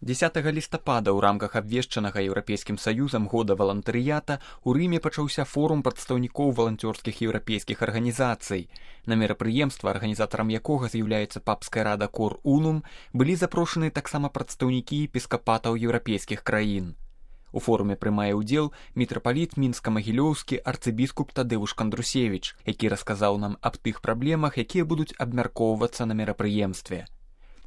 10 лістапада ў рамках абвешчанага Еўрапейскім саюзам года валантарыята ў Рыме пачаўся форум прадстаўнікоў валанцёрскіх еўрапейскіх арганізацый. На мерапрыемства, арганізатарам якога з'яўляецца папская рада Cor Unum, былі запрошаны таксама прадстаўнікі епіскапатаў еўрапейскіх краін. У форуме прымае ўдзел мітрапаліт мінска-магілёўскі арцыбіскуп Тадэвуш Кандрусевіч, які расказаў нам аб тых праблемах, якія будуць абмяркоўвацца на мерапрыемстве.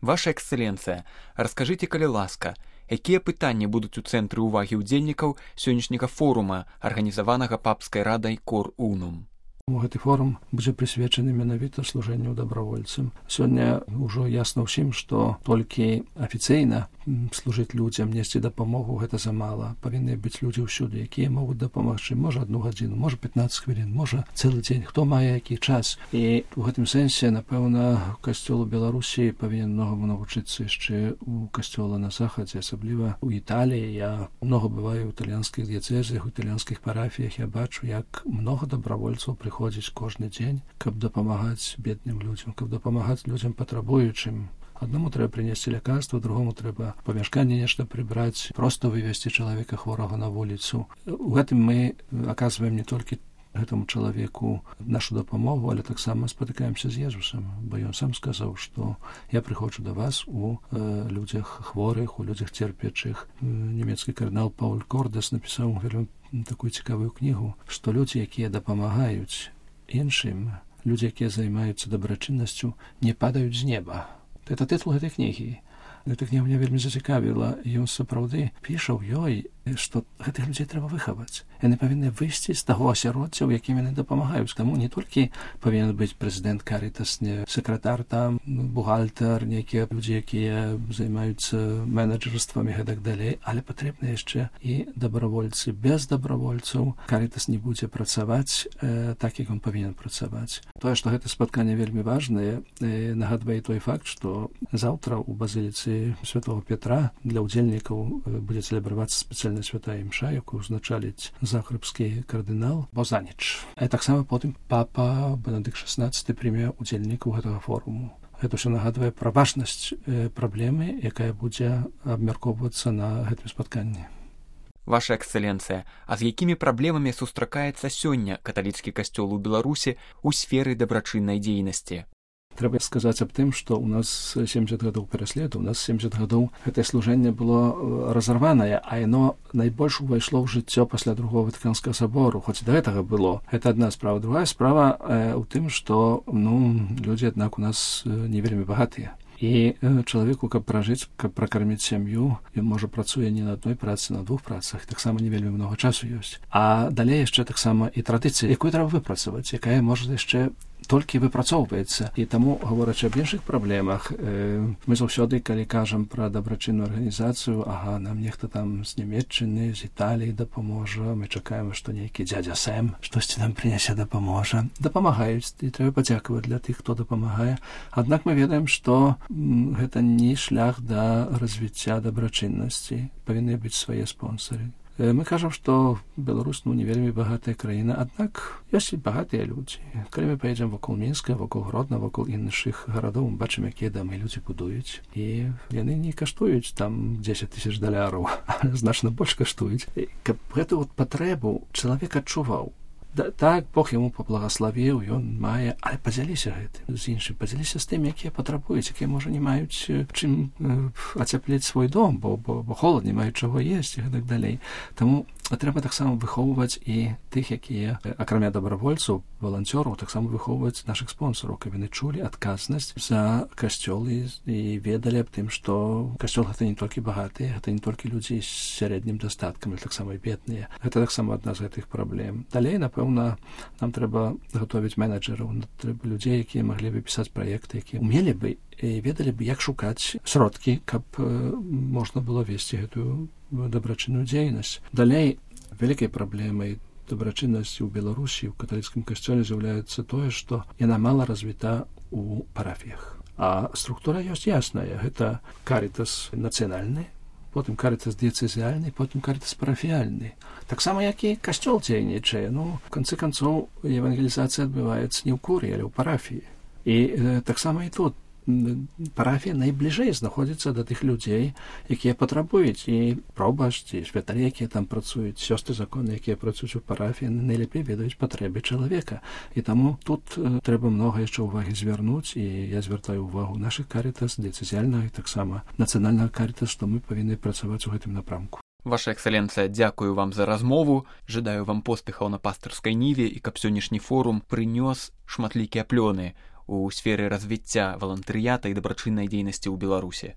Ваша эксцэленцыя, раскажыце, калі ласка, якія пытанні будуць у цэнтры ўвагі ўдзельнікаў сённяшняга форума, арганізаванага папскай радай Cor Unum? Гэты форум будзе прысвечаны менавіта служэнню дабравольцам. Сёння ўжо ясна ўсім, што толькі афіцыйна служыць людзям, несці дапамогу, гэта замала. Павінны быць людзі ўсюды, якія могуць дапамагчы. Можа 1 гадзіну, можа 15 хвілін, можа цэлы дзень, хто мае які час. І ў гэтым сэнсе, напэўна, касцёл у Беларусі павінен многаму навучыцца яшчэ у касцёла на захадзе, асабліва ў Італіі. Я многа бываю ў італьянскіх дыяцэзах, у італьянскіх парафіях. Я бачу, як многа дабравольцаў прыходзіць кожны дзень, каб дапамагаць бедным людзям, каб дапамагаць людзям патрабуючым. Аднаму трэба прынесці лякарства, другому трэба памяшканне нешта прыбраць, проста вывесці чалавека хворага на вуліцу. У гэтым мы аказваем не толькі гэтаму чалавеку нашу дапамогу, але таксама спатыкаемся з Езусам, бо ён сам сказаў, што я прыходжу да вас у людзях хворых, у людзях церпячых. Нямецкі кардынал Пауль Кордас напісаў вельмі такую цікавую кнігу, што людзі, якія дапамагаюць іншым, людзі, якія займаюцца дабрачыннасцю, не падаюць з неба. Это тытул гэтай кнігі. Гэта кніга мне вельмі зацікавіла. Ён сапраўды піша ў ёй, што гэтых людзей трэба выхаваць. Яны павінны выйсці з таго асяроддзя, у якім яны дапамагаюць. Таму не толькі павінен быць прэзідэнт Карітас, не сакратар там, бухгалтар, нейкія людзі, якія займаюцца менеджерствам і гэтак далей, але патрэбны яшчэ і дабравольцы. Без дабравольцаў Карітас не будзе працаваць так, як ён павінен працаваць. Тое, што гэта спатканне вельмі важнае, нагадвае той факт, што заўтра ў базіліцы святого Петра для ўдзельнікаў будзе цэлебравацца спецыяльная святая імша, якую узначаліць захарбскі кардынал Бозаніч. А таксама потым папа Бенедыкт XVI прыме ўдзельнікаў гэтага форуму. Гэта ўсё нагадвае пра важнасць праблемы, якая будзе абмяркоўвацца на гэтым спатканні. Ваша эксцэленцыя, а з якімі праблемамі сустракаецца сёння каталіцкі касцёл у Беларусі ў сферы дабрачыннай дзейнасці? Трэба сказаць аб тым, што ў нас 70 гадоў пераследу, у нас 70 гадоў гэтае служэнне было разарванае, а яно найбольш увайшло ў жыццё пасля другого Ватыканскага сабору, хоць да гэтага было. Гэта адна справа. Другая справа ў тым, што людзі, аднак, у нас не вельмі багатыя. І чалавеку, каб пражыць, каб пракарміць сям'ю, ён можа працуе не на адной працы, на 2 працах, таксама не вельмі многа часу ёсць. А далей яшчэ таксама і традыцыя, якую трэба выпрацаваць, якая можа яшчэ толькі выпрацоўваецца. І таму, гаворачы аб іншых праблемах, мы заўсёды, калі кажам пра дабрачынную арганізацыю, нам нехта там з Нямецчыны, з Італіі дапаможа, мы чакаем, што нейкі дзядзя Сэм штосьці нам прынясе дапаможа. Дапамагаюць, і трэба падзякаваць для тых, хто дапамагае. Аднак мы ведаем, што гэта не шлях да развіцця дабрачыннасці. Павінны быць свае спонсары. Мы кажам, што Беларусь не вельмі багатая краіна, аднак ёсць і багатыя людзі. Калі мы паедзем вакол Мінска, вакол Гродна, вакол іншых гарадоў, мы бачым, якія дамы людзі будуюць. І яны не каштуюць там 10 000 $, значна больш каштуюць. Каб гэту патрэбу чалавек адчуваў. Так, Бог яму паблагаславіў, ён мае, але падзяліся гэтым з іншым, падзяліся з тым, якія патрабуюць, якія, можа, не маюць чым ацяпліць свой дом, бо холад, не маюць чаго есці і гэтак далей. Таму трэба таксама выхоўваць і тых, якія, акрамя дабравольцаў, валанцёраў, таксама выхоўваць нашых спонсараў, каб яны чулі адказнасць за касцёл і ведалі аб тым, што касцёл гэта не толькі багатыя, гэта не толькі людзі з сярэднім дастаткам, але таксама і бедныя. Гэта таксама адна з гэтых праблем. Далей, напэўна, нам трэба гатовіць менеджераў, трэба людзей, якія маглі бы пісаць праекты, якія умелі бы і ведалі бы, як шукаць сродкі, каб можна было весці гэтую дабрачынную дзейнасць. Далей, вялікай праблемай дабрачыннасці ў Беларусі, у каталіцкім касцёле з'яўляецца тое, што яна мала развіта ў парафіях. А структура ёсць ясная. Гэта Карітас нацыянальны, потым Карітас дыяцэзіальны, потым Карітас парафіяльны. Таксама, як і касцёл дзейнічае. В канцы канцоў, евангелізацыя адбываецца не ў курыі, але ў парафіі. І таксама і тут парафія найбліжэй знаходзіцца да тых людзей, якія патрабуюць, і пробашч, і святары, якія там працуюць, сёстры законы, якія працуюць у парафіі, найлепей ведаюць патрэбы чалавека. І таму тут трэба многа яшчэ ўвагі звярнуць, і я звяртаю ўвагу нашых карітас, дыяцэзіяльнага і таксама нацыянальнага карітас, што мы павінны працаваць у гэтым напрамку. Ваша эксцэленцыя, дзякую вам за размову, жадаю вам поспехаў на пастырскай ніве і каб сённяшні форум прынёс шматлікія плёны у сферы развіцця валантарыята і дабрачыннай дзейнасці ў Беларусі.